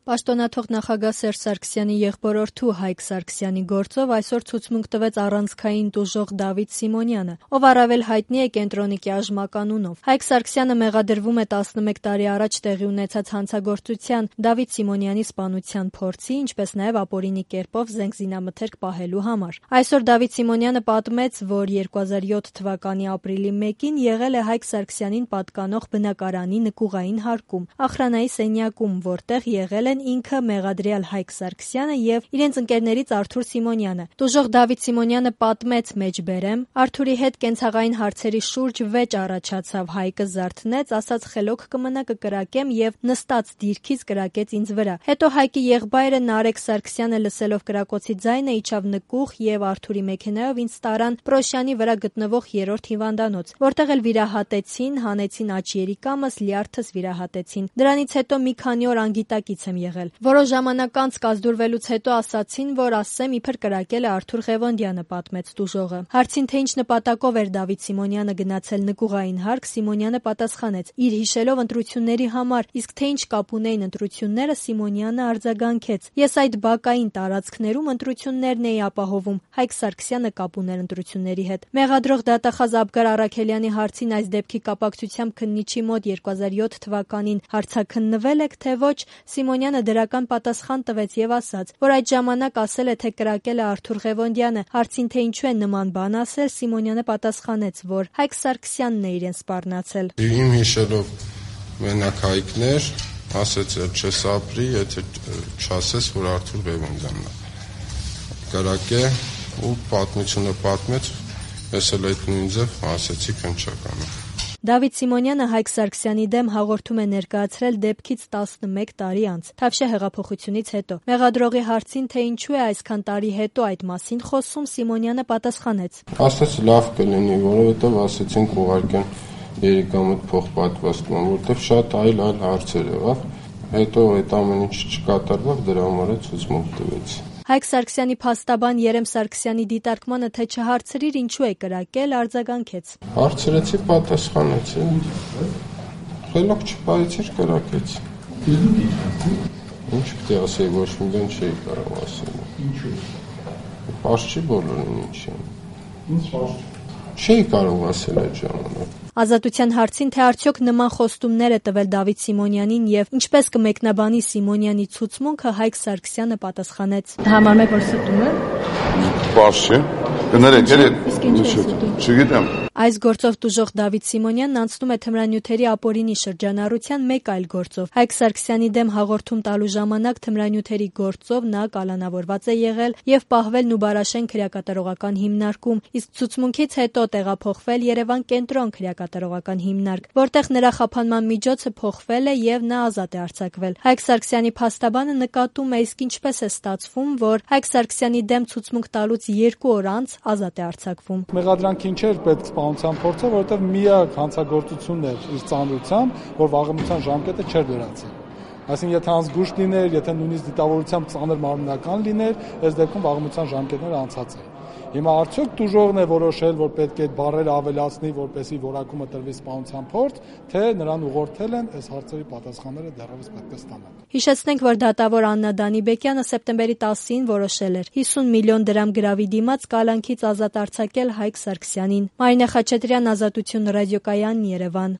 Պաշտոնաթող նախագահ Սերժ Սարգսյանի եղբորորդու Հայկ Սարգսյանի գործով այսօր ցուցմունք տվեց առանցքային տուժող Դավիթ Սիմոնյանը, ով առավել հայտնի է Կենտրոնիկի Աժմականունով։ Հայկ Սարգսյանը մեղադրվում է 11 տարի առաջ տեղի ունեցած հանցագործության, Դավիթ Սիմոնյանի սպանության փորձի, ինչպես նաև ապօրինի կերպով զենք զինամթերք պահելու համար։ Այսօր Դավիթ Սիմոնյանը պատմեց, որ 2007 թվականի ապրիլի 1-ին եղել է Հայկ Սարգսյանին պատկանող բնակարանի նկուղային հարկում, ախրանայի սենյակում, որտեղ եղել ինքը մեղադրյալ Հայկ Սարգսյանը եւ իրենց ընկերներից Արթուր Սիմոնյանը։ Տուժող Դավիթ Սիմոնյանը պատմեց մեջբերեմ. Արթուրի հետ կենցաղային հարցերի շուրջ վեճ առաջացավ, Հայկը զարթնեց, ասաց խելոք կմնա կկրակեմ եւ նստած դիրքից կրակեց ինձ վրա։ Հետո Հայկի եղբայրը Նարեկ Սարգսյանը լսելով կրակոցի ձայնը իջավ նկուղ եւ Արթուրի մեքենայով ինձ տարան Պրոշյանի վրա գտնվող 3-րդ հիվանդանոց, որտեղ էլ վիրահատեցին, հանեցին աջ երիկամս, լյարդս վիրահատեցին։ Դրանից հետո մի քանի օր անգիտակից եմ եղել։ Որոշ ժամանակ անց կազդուրվելուց հետո ասացին, որ ասեմ իբր կրակել է Արթուր Ղևոնդյանը, պատմեց տուժողը։ Հարցին թե ինչ նպատակով էր Դավիթ Սիմոնյանը գնացել նկուղային հարկ, Սիմոնյանը պատասխանեց. իր հիշելով ընտրությունների համար, իսկ թե ինչ կապ ունեին ընտրությունները, Սիմոնյանը արձագանքեց. ես այդ բակային տարածքներում ընտրություններն էի ապահովում, Հայկ Սարգսյանը կապ ուներ ընտրությունների հետ։ Մեղադրող դատախազ Աբգար Առաքելյանի հարցին այս դեպքի կապակցությամբ քննիչի մոտ 2007 թվականին հարցաքննվել եք, թե ոչ, Սիմոնյանը դրական պատասխան տվեց եւ ասաց, որ այդ ժամանակ ասել է, թե կրակել է Արթուր Ղևոնդյանը։ Հարցին թե ինչու է նման բան ասել, Սիմոնյանը պատասխանեց, որ Հայկ Սարգսյանն է իրեն սպառնացել։ Իմ հիշելով մենակ Հայկներ, ասեց չես ապրի, եթե չասես, որ Արթուր Ղևոնդյանն է կրակե ու պատմությունը պատմեց, ես էլ այդ նույն ձև ասեցի քննչականը։ Դավիթ Սիմոնյանը Հայկ Սարգսյանի դեմ հաղորդում է ներկայացրել դեպքից 11 տարի անց, Թավշյա հեղափոխությունից հետո։ Մեղադրողի հարցին, թե ինչու է այսքան տարի հետո այդ մասին խոսում, Սիմոնյանը պատասխանեց. ասաց լավ կլինի, որովհետև ասեցինք ուղարկեն երիկամդ փոխպատվաստման, որտեղ շատ այլ հարցեր եղավ, հետո այդ ամեն ինչ չկատարվավ, դրա համար է ցուցմունք տվեցի։ Հայկ Սարգսյանի փաստաբան Երեմ Սարգսյանի դիտարկմանը, թե չհարցրիր ինչու է կրակել, արձագանքեց. հարցրեցի, պատասխանեցի, խելոք չպահեցիր, կրակեցի։ Ինչ պիտի ասեի, ոչ մի բան չէի կարող ասել։ Ինչու՞։ Պարզ չի բոլորին ինչի։ Ինչ պարզ։ Չէի կարող ասել այդ ժամանակ։ Ազատության հարցին, թե արդյոք նման խոստումներ է տվել Դավիթ Սիմոնյանին եւ ինչպես կմեկնաբանի Սիմոնյանի ցուցմունքը, Հայկ Սարգսյանը պատասխանեց. Համարում եք, որ ստում է։ Պարզ չէ։ Կներեք, չգիտեմ։ Այս գործով տուժող Դավիթ Սիմոնյանն անցնում է թմրանյութերի ապօրինի շրջանառության մեկ այլ գործով։ Հայկ Սարգսյանի դեմ հաղորդում տալու ժամանակ թմրանյութերի գործով նա կալանավորված է եղել եւ պահվել Նուբարաշեն քրեակատարողական հիմնարկում, իսկ ցուցմունքից հետո տեղափոխվել Երևան կենտրոն քրեակատարողական հիմնարկ, որտեղ նրա խափանման միջոցը փոխվել է եւ նա ազատ է արձակվել։ Հայկ Սարգսյանի փաստաբանը նկատում է, իսկ ինչպես է ստացվում, որ Հայկ Սարգսյանի դեմ ցուցմունք տալուց 2 օր անց ազատ է արձակվում։ Մեղադրանքին չէր պետք սպանության փորձը, որովհետև միակ հանցագործությունն էր իր ծանրությամբ, որ վաղեմության ժամկետը չէր դրացել։ Այսինքն, եթե անզգուշ լիներ, եթե նույնիսկ դիտավորությամբ ծանր մարմնական լիներ, այս դեպքում վաղեմության ժամկետները անցած էին։ Հիմա արդյոք տուժողն է որոշել, որ պետք է այդ բառերը ավելացնի, որպեսզի որակումը տրվի սպանության փորձ, թե նրան ուղղորդել են, այս հարցերի պատասխանները դեռևս պետք է ստանալ։ Հիշեցնենք, որ դատավոր Աննա Դանիբեկյանը սեպտեմբերի 10-ին որոշել էր 50 միլիոն դրամ գրավի դիմաց կալանքից ազատ արձակել Հայկ Սարգսյանին։ Մարինե Խաչատրյան, Ազատություն ռադիոկայան, Երևան։